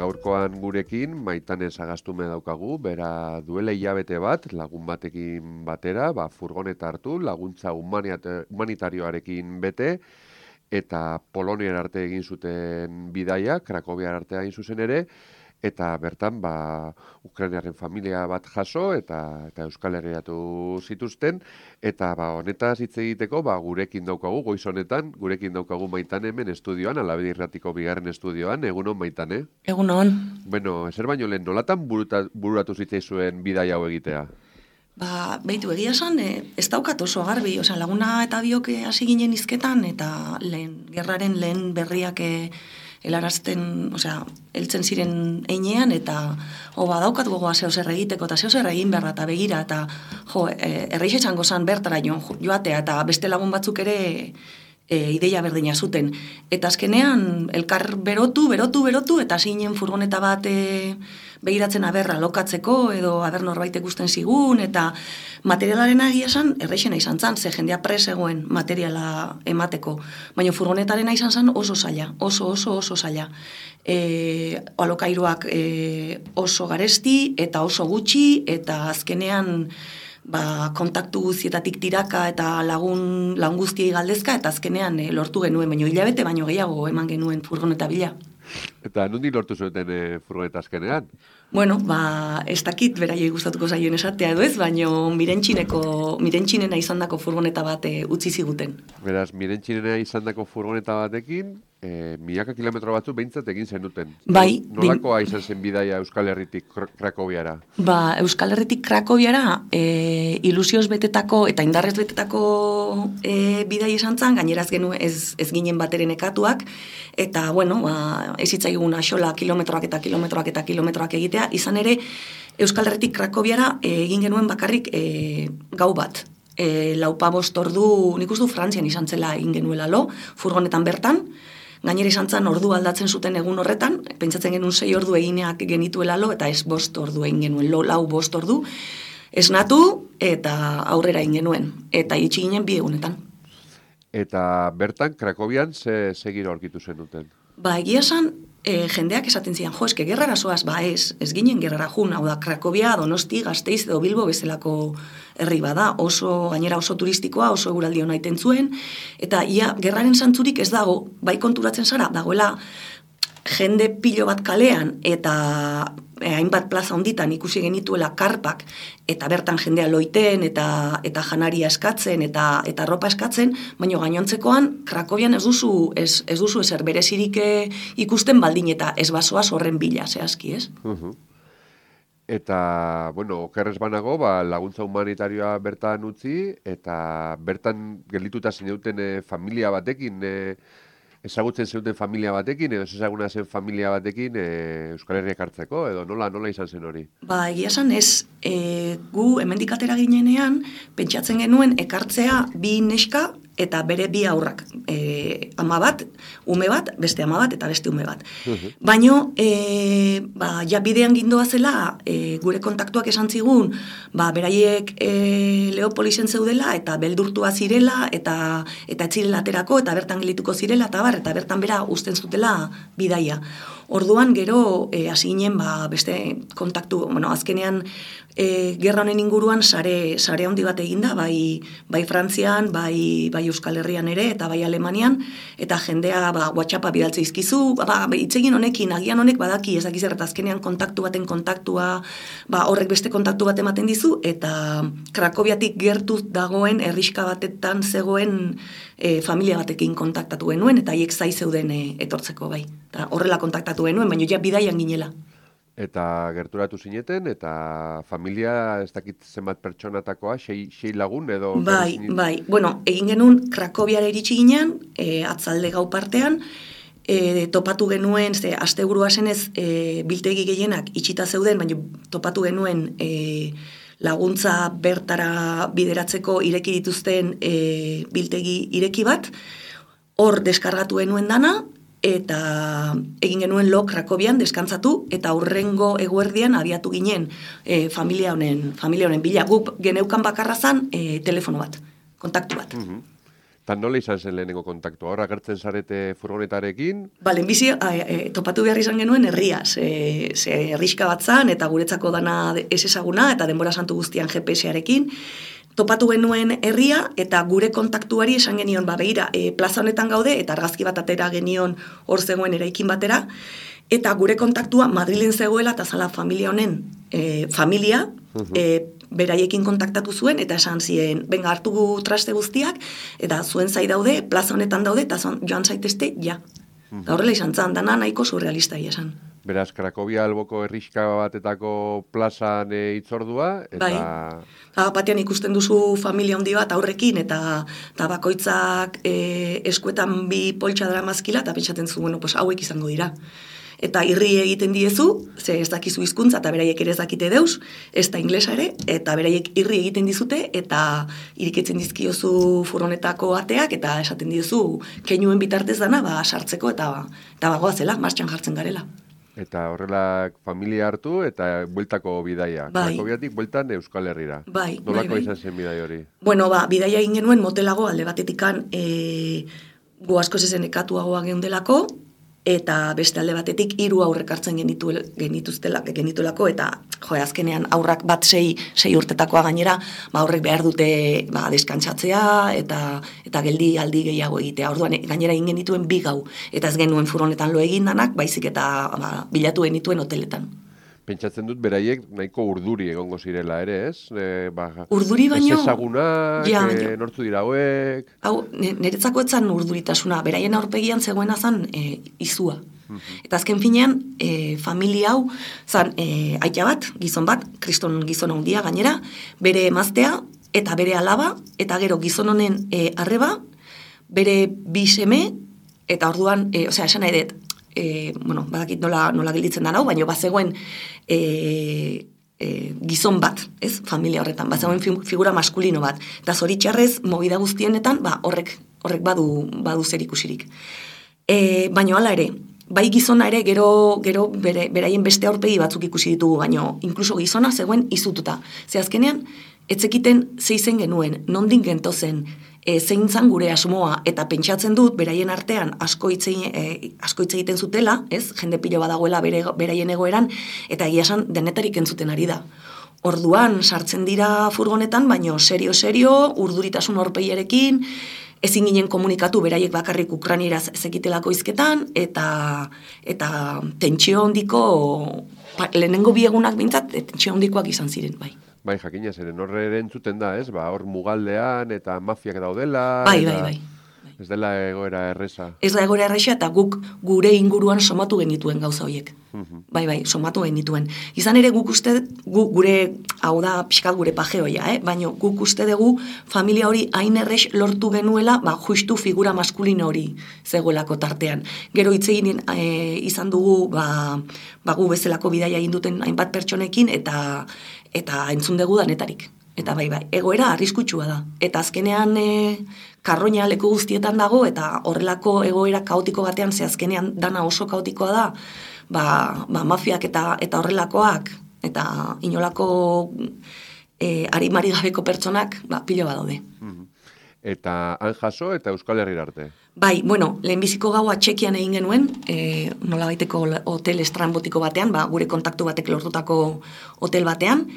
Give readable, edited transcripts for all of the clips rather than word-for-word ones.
Gaurkoan gurekin Maitane Sagastume daukagu, bera duela hilabete bat, lagun batekin batera, furgoneta hartu, laguntza humanitarioarekin bete, eta Poloniara arte egin zuten bidaia, Krakowiara arte egin zuzen ere, eta bertan Ukrainiarren familia bat jaso eta Euskal Herriatu zituzten, eta honetaz hitz egiteko gurekin daukagu, goiz honetan, gurekin daukagu Maitane hemen estudioan, Alabedi Irratiko bigarren estudioan, egunon Maitane? Egunon. Bueno, ezer baino lehen, nolatan bururatu zitzaizuen bidaia hau egitea? Behitu, egia esan, ez daukat oso garbi, laguna eta biok hasi ginen hizketan, eta gerraren lehen berriak helarazten, heltzen ziren einean, eta daukat gogoa zehozer egiteko, eta zehozer egin behar eta begira, eta erreixe txango zan bertara joatea, eta beste lagun batzuk ere ideia berdina zuten. Eta azkenean, elkar berotu, eta hasi ginen furgoneta bat begiratzen aberra lokatzeko, edo aber norbait ikusten zigun, eta materialaren egia esan, erreixena izan zan, ze jendea pres egoen materiala emateko. Baina furgonetarena izan zan oso zaila, oso zaila. Alokairuak oso garesti, eta oso gutxi, eta azkenean kontaktu guztietatik tiraka eta lagun guztiei galdezka, eta azkenean lortu genuen, baino hilabete baino gehiago eman genuen furgoneta bila. Eta nondik lortu zuten furgoneta azkenean? Bueno, ez dakit beraiei gustatuko zaioen esatea edo ez, baino mirentxinena izandako furgoneta bat utzi ziguten. Beraz, mirentxinena izandako furgoneta batekin, milaka kilometro batzuk behintzat egin zenuten. Bai. Nolakoa izan zen bidaia Euskal Herritik Krakowiara? Euskal Herritik Krakowiara ilusioz betetako eta indarrez betetako bidaia izan zan, gaineraz genuen ez ginen bateren ekatuak, eta, ez hitzaigun axola kilometroak egitea, izan ere Euskal Herritik Krakowiara egin genuen bakarrik gau bat. 4-5 ordu, nik uste Frantzian izan zela egin genuela furgonetan bertan, gainera izan zen ordu aldatzen zuten egun horretan, pentsatzen genuen 6 ordu egineak genituela eta ez 5 ordu egin genuen, 4-5 ordu, esnatu eta aurrera egin genuen, eta itxi ginen 2 egunetan. Eta bertan, Krakowian, ze giro aurkitu zenuten? Egia esan, jendeak esaten zian, eske gerrara zoaz, ez ginen gerrara jun, hau da, Krakowia, Donosti, Gasteiz edo Bilbo bezalako herri bada, gainera oso turistikoa, oso eguraldi hona iten zuen, eta gerraren zantzurik ez dago, bai konturatzen zara, dagoela jende pilo bat kalean, eta hainbat plaza honditan ikusi genituela karpak, eta bertan jendea loiten, eta janaria eskatzen, eta ropa eskatzen, baina gainontzekoan, Krakowian ez duzu ezer berezirik ikusten baldin, eta ez basoaz horren bila, zehazki, ez? Eta, okerrez banago, laguntza humanitarioa bertan utzi, eta bertan geldituta zineuten familia batekin, ezagutzen zeuten familia batekin, edo ezaguna zen familia batekin Euskal Herriak hartzeko, edo nola izan zen hori? Egia esan ez, gu hemendik atera ginenean, pentsatzen genuen ekartzea 2 neska eta bere 2 haurrak. Ama bat, ume bat, beste ama bat eta beste ume bat. Baina, bidean gindoa zela, gure kontaktuak esan zigun, beraiek Leopolisen zeudela, eta beldurtua zirela, eta etzirela aterako, eta bertan gelituko zirela, eta bertan bera uzten zutela bidaia. Orduan, gero, hasi ginen, beste kontaktu, azkenean, gerra honen inguruan sare handi bat eginda, bai Frantzian, bai Euskal Herrian ere, eta bai Alemanian, eta jendea WhatsAppa bidaltze izkizu, hitzegin honekin, agian honek badaki, ez dakiz eta azkenean kontaktu baten kontaktua, horrek beste kontaktu bat ematen dizu, eta Krakowiatik gertu dagoen, herriska batetan zegoen familia batekin kontaktatu genuen, eta haiek zai zeuden etortzeko bai. Eta horrela kontaktatu genuen, baina bidaian ginela. Eta gerturatu zineten, eta familia ez dakit zenbat pertsonatakoa, 6 lagun edo... Bai. Egin genuen Krakowiara iritsi ginen, atzalde gau partean, topatu genuen, asteburua zenez biltegi gehienak itxita zeuden, baina topatu genuen laguntza bertara bideratzeko ireki dituzten biltegi ireki bat, hor deskargatu genuen dana, eta egin genuen lo Krakobian deskantzatu, eta hurrengo eguerdian abiatu ginen familia honen bila. Guk geneukan bakarra zan telefono bat, kontaktu bat. Eta nola izan zen lehenengo kontaktua? Horra gertzen zarete furgonetarekin? Lehenbizi topatu behar izan genuen herriaz. Ze herriska bat zan, eta guretzako dana ez ezaguna, eta denbora santu guztian GPS-arekin. Topatu genuen herria, eta gure kontaktuari esan genion, begira, plaza honetan gaude, eta argazki bat atera genion hor zegoen eraikin batera, eta gure kontaktua Madrilen zegoela, eta zala familia honen familia, beraiekin kontaktatu zuen, eta esan ziren, benga hartu traste guztiak, eta zuen zai daude, plaza honetan daude, eta joan zaitezte, ja. Eta horrela izan zan, dana nahiko surrealista esan. Beraz, Krakobia alboko herriska batetako plazan itzordua, eta... Bai, batean ikusten duzu familia handi bat aurrekin, eta bakoitzak eskuetan bi poltsa daramazkila, eta pentsatzen zu, bueno, pues hauek izango dira. Eta irri egiten diezu, ze ez dakizu hizkuntza eta beraiek ere ez dakite deus, ez da inglesa ere, eta beraiek irri egiten dizute, eta irikitzen dizkiozu furgonetako ateak, eta esaten diozu keinuen bitartez dana, sartzeko, eta bagoazela, martxan jartzen garela. Eta horrela familia hartu eta bueltako bidaia. Krakobiatik bueltan Euskal Herrira. Nolako izan zen bidai hori? Bueno, bidaia egin genuen motelago alde batetikan gu asko zezen ekatuagoa geundelako, eta beste alde batetik 3 aurrek hartzen genituelako, eta azkenean aurrak bat 6 urtetakoa gainera, aurrek behar dute deskantsatzea, eta geldi aldi gehiago egitea. Orduan gainera egin genituen 2 gau, eta ez genuen furgonetan lo egin danak, baizik eta bilatu genituen hoteletan. Pentsatzen dut beraiek nahiko urduri egongo zirela ere, ez? Urduri baino... Ez ezagunak, nortzu dira hauek... Hau, niretzako etzan urduritasuna, beraien aurpegian zegoena zan izua. Eta azken finean, familia hau, zan aita bat, gizon bat, kriston gizon handia gainera, bere emaztea, eta bere alaba, eta gero gizon honen arreba, bere 2 seme, eta orduan, esan nahi dut, badakit nola gelditzen da nau, baina bazegoen gizon bat, ez, familia horretan, bazegoen figura maskulino bat, eta zoritxarrez, movida guztienetan, horrek badu zer ikusirik. Baina hala ere, bai gizona ere gero beraien beste aurpegi batzuk ikusi ditugu, baina inkluso gizona zegoen izututa. Ze azkenean, etzekiten zeizen genuen, nondin gentozen, zein zan gure asmoa, eta pentsatzen dut, beraien artean asko hitz egiten zutela, ez, jende pilo badagoela beraien egoeran, eta egia esan denetarik entzuten ari da. Orduan, sartzen dira furgonetan, baino serio, urduritasun aurpegiarekin, ezin ginen komunikatu beraiek bakarrik ukranieraz zekitelako hizketan, eta tentsio handiko, lehenengo biegunak bintzat, tentsio handikoak izan ziren, bai. Bai, jakina zeren horre ere entzuten da, ez? Hor mugaldean eta mafiak daudela. Bai. Ez dela egoera erresa. Ez da egoera erresa, eta guk gure inguruan somatu genituen gauza horiek. Bai, somatu genituen. Izan ere guk uste, gure, hau da pixkat gure pajeoia, baina guk uste dugu familia hori hain errex lortu genuela, justu figura maskulino hori zegoelako tartean. Gero hitzegin izan dugu, gu bezalako bidaia egin duten hainbat pertsonekin, eta entzun dugu danetarik. Eta bai, egoera arriskutsua da. Eta azkenean karroina leku guztietan dago, eta horrelako egoera kaotiko batean, ze azkenean dana oso kaotikoa da, mafiak eta horrelakoak, eta inolako arimari gabeko pertsonak, pilo badaude. Eta han jaso eta Euskal Herrira arte? Bai, lehenbiziko gaua Txekian egin genuen, nola baiteko hotel estrambotiko batean, gure kontaktu batek lortutako hotel batean.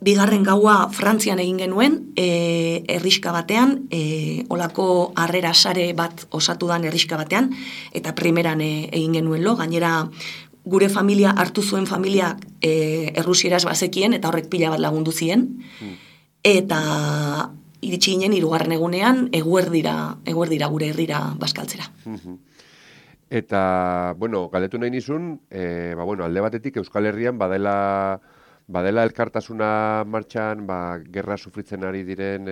Bigarren gaua Frantzian egin genuen, herriska batean, olako harrera sare bat osatu dan herriska batean, eta primeran egin genuen lo, gainera gure familia hartu zuen familia errusieraz bazekien, eta horrek pila bat lagundu zien, eta iritsi ginen 3. egunean eguerdira gure herrira bazkaltzera. Eta, galdetu nahi nizun, alde batetik Euskal Herrian badela elkartasuna martxan, gerra sufritzen ari diren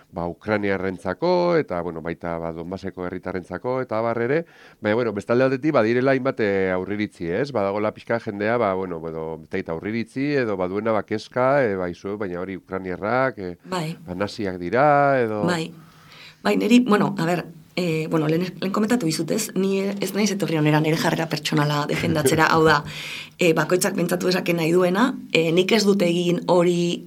Ukrainiarrentzako, eta baita Donbaseko herritarrentzako, eta ere, baina, bestalde aldetik badirela hainbat aurriritzi, ez? Badagola pixka jendea, eta aurriritzi, edo baduena bakezka, baina hori Ukrainiarrak, naziak dira, edo... Bai, niri, lehen komentatu dizut, ez? Ni ez naiz etorri honera nire jarrera pertsonala defendatzera, hau da, bakoitzak pentsatu esaken nahi duena, nik ez dute egin hori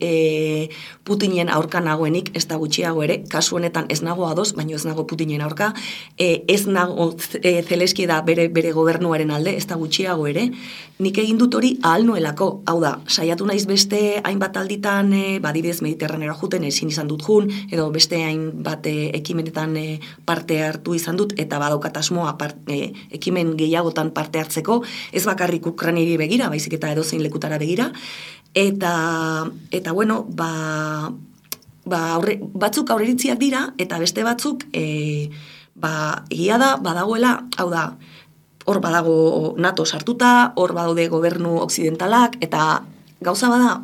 Putinen aurka nagoenik, ez da gutxiago ere, kasu honetan ez nago ados, baina ez nago Putinen aurka, ez nago Zeleski da bere gobernuaren alde, ez da gutxiago ere, nik egin dut hori ahal nuelako, hau da, saiatu naiz beste hainbat alditan, badibidez Mediterranera juten ezin izan dut jun, edo beste hainbat ekimenetan parte hartu izan dut, eta badaukat asmoa ekimen gehiagotan parte hartzeko, ez bakarrik Ukrainari begira, baizik eta edozein lekutara begira, eta bueno, batzuk aurreritziak dira, eta beste batzuk, egia da, badagoela, hau da, hor badago NATO sartuta, hor badaude gobernu occidentalak, eta gauza bada,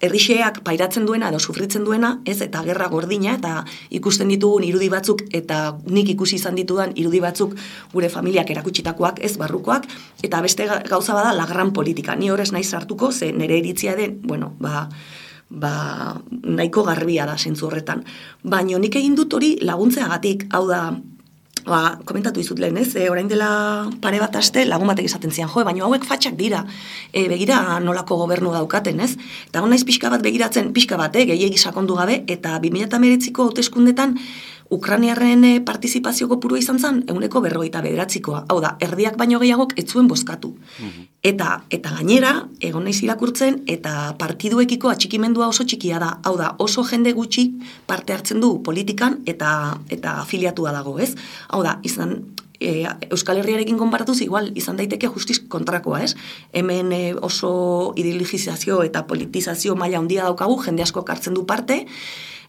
herrixeak pairatzen duena edo sufritzen duena, ez, eta gerra gordina, eta ikusten ditugun irudi batzuk, eta nik ikusi izan ditudan irudi batzuk gure familiak erakutsitakoak, ez, barrukoak, eta beste gauza bada la gran politika. Ni horrez naiz sartuko, ze nire iritzia den, bueno, nahiko garbia da zentzu horretan. Baina nik egin dut hori laguntzeagatik, hau da, komentatu izut lehen, ez? Orain dela pare bat aste lagun batek izaten zian, baina hauek fatxak dira, begira nolako gobernu daukaten, ez? Eta honaiz pixka bat begiratzen, pixka bat, gehiegi sakondu gabe, eta 2019ko hauteskundetan Ukrainiarren partizipazio kopurua izan zen, 49%. Hau da, erdiak baino gehiagok ez zuen bozkatu. Eta gainera, egon naiz irakurtzen, eta partiduekiko atxikimendua oso txikia da. Hau da, oso jende gutxi parte hartzen du politikan eta afiliatua dago, ez? Hau da, Euskal Herriarekin konparatuz, igual izan daiteke justiz kontrakoa, ez? Hemen oso ideologizazio eta politizazio maila handia daukagu, jende asko hartzen du parte,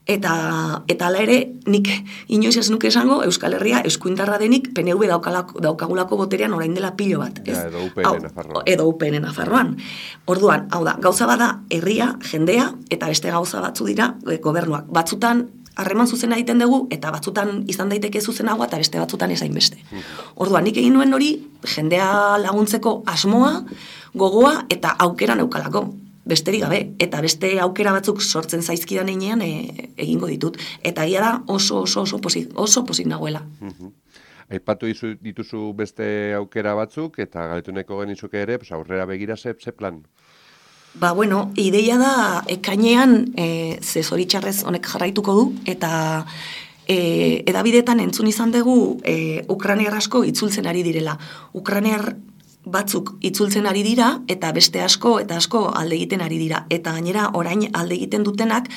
eta ala ere, nik inoiz ez nuke esango, Euskal Herria eskuindarra denik PNV daukagulako boterean orain dela pilo bat. Ja, edo UPN Nafarroan. Edo UPN Nafarroan. Orduan, hau da, gauza bada herria, jendea, eta beste gauza batzu dira gobernuak. Batzutan harreman zuzena egiten dugu, eta batzutan izan daiteke zuzenagoa, eta beste batzutan ezain beste. Orduan, nik egin nuen hori, jendea laguntzeko asmoa, gogoa, eta aukera neukalako. Besterik gabe, eta beste aukera batzuk sortzen zaizkidan einean egingo ditut. Eta egia da oso pozik nagoela. Aipatu dituzu beste aukera batzuk, eta galetu nahiko genizuke ere, aurrera begira ze plan? Ideia da ekainean ze zoritxarrez honek jarraituko du, eta edabidetan entzun izan dugu Ukrainiar asko itzultzen ari direla. Ukrainiar batzuk itzultzen ari dira, eta beste asko alde egiten ari dira. Eta gainera, orain alde egiten dutenak,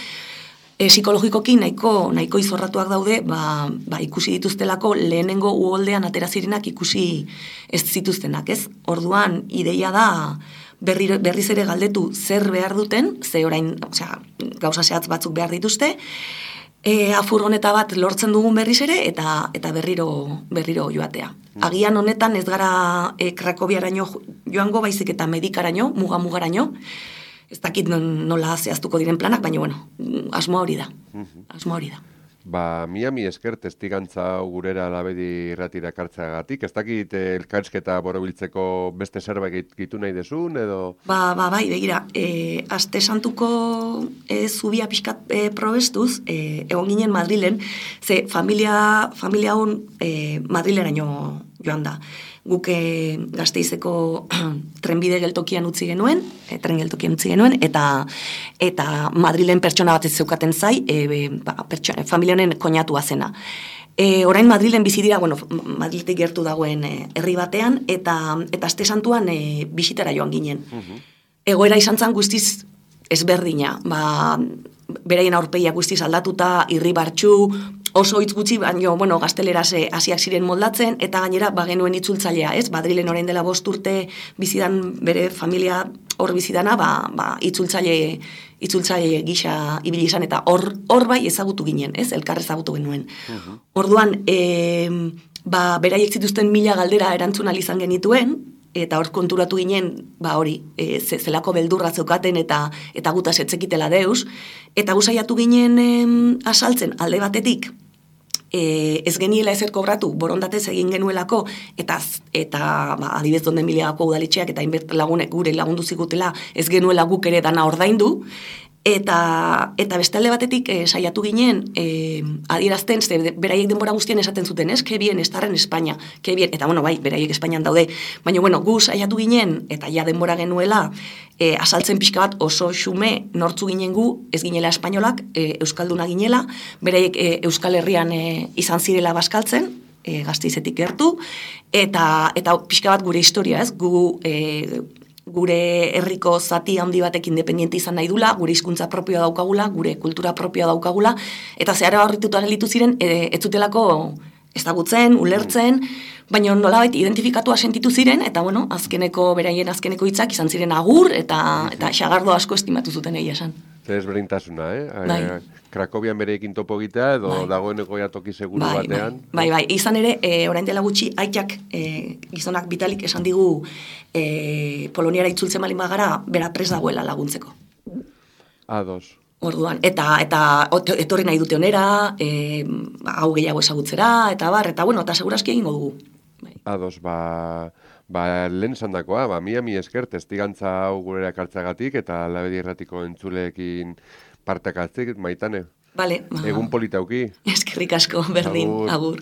psikologikoki nahiko izorratuak daude, ikusi dituztelako lehenengo uholdean atera zirenak ikusi ez zituztenak, ez? Orduan, ideia da berriz ere galdetu zer behar duten, ze orain, gauza zehatz batzuk behar dituzte, furgoneta bat lortzen dugun berriz ere, eta berriro joatea. Agian honetan ez gara Krakoviaraino joango, baizik eta Medikaraino, mugaraino. Ez dakit nola zehaztuko diren planak, baina asmoa hori da. Miami esker testigantza gurera labedi irratira kartzeagatik, ez dakit elkarrizketa borobiltzeko beste zerbait gitu nahi desun, edo? Bai, begira, aste santuko zubia pixkat probestuz, egon ginen Madrilen, ze familia hon Madrileraino joan da. Guk Gasteizeko trenbide geltokian utzi genuen, eta Madrilen pertsona bat ez zeukaten zai, familia honen koñatua zena. Orain Madrilen bizi dira, Madriletik gertu dagoen herri batean, eta aste santuan bisitara joan ginen. Egoera izan zen guztiz ezberdina, beraien aurpegia guztiz aldatuta, irribartsu, oso hitz gutxi, baina, gazteleraz hasiak ziren moldatzen, eta gainera, genuen itzultzailea, ez? Madrilen orain dela 5 urte bizidan bere familia hor bizidana, itzultzaile gisa ibili izan, eta hor bai ezagutu ginen, ez? Elkar ezagutu genuen. Orduan, beraiek zituzten 1000 galdera erantzun ahal izan genituen, eta hor konturatu ginen, zelako beldurra zeukaten eta gutaz etzekitela deus, eta guzaiatu ginen asaltzen alde batetik, ez geniela ezer kobratu, borondatez egin genuelako, eta adibez donde miliagako udaletxeak, eta inbert lagunek gure lagundu zigutela, ez genuela guk ere dana ordaindu, Eta beste alde batetik saiatu ginen adierazten, beraiek denbora guztien esaten zuten, que bien estar en España, que bien, eta bueno, bai, beraiek Espainian daude, baina bueno, gu saiatu ginen, eta ja denbora genuela, azaltzen pixka bat oso xume nortzu ginen gu, ez ginela espainolak, euskalduna ginela, beraiek Euskal Herrian izan zirela bazkaltzen, Gasteizetik gertu, eta pixka bat gure historia, ez, gure herriko zati handi batek independiente izan nahi dula, gure hizkuntza propioa daukagula, gure kultura propioa daukagula, eta zehara horrituta gelitu ziren, ez zutelako ezagutzen, ulertzen, baina nolabait identifikatua sentitu ziren, eta bueno, beraien azkeneko hitzak izan ziren agur, eta xagardo asko estimatu zuten egia esan. Desberdintasuna, Krakovian bereekin topo egitea, edo dagoeneko toki seguru batean. Bai, izan ere, orain dela gutxi, aitak gizonak Vitalik esan digu Poloniara itzultzen balin bagara, bera prest dagoela laguntzeko. Ados. Orduan, eta etorri nahi dute onera, hau gehiago ezagutzera, eta bueno, eta seguraski egingo dugu. Ados, lehen zandakoa, mi esker, testigantza hau gure ekartzagatik, eta Labedi Irratiko entzuleekin parteak atzik, Maitane. Vale. Egun politauki. Eskerrik asko, berdin, agur.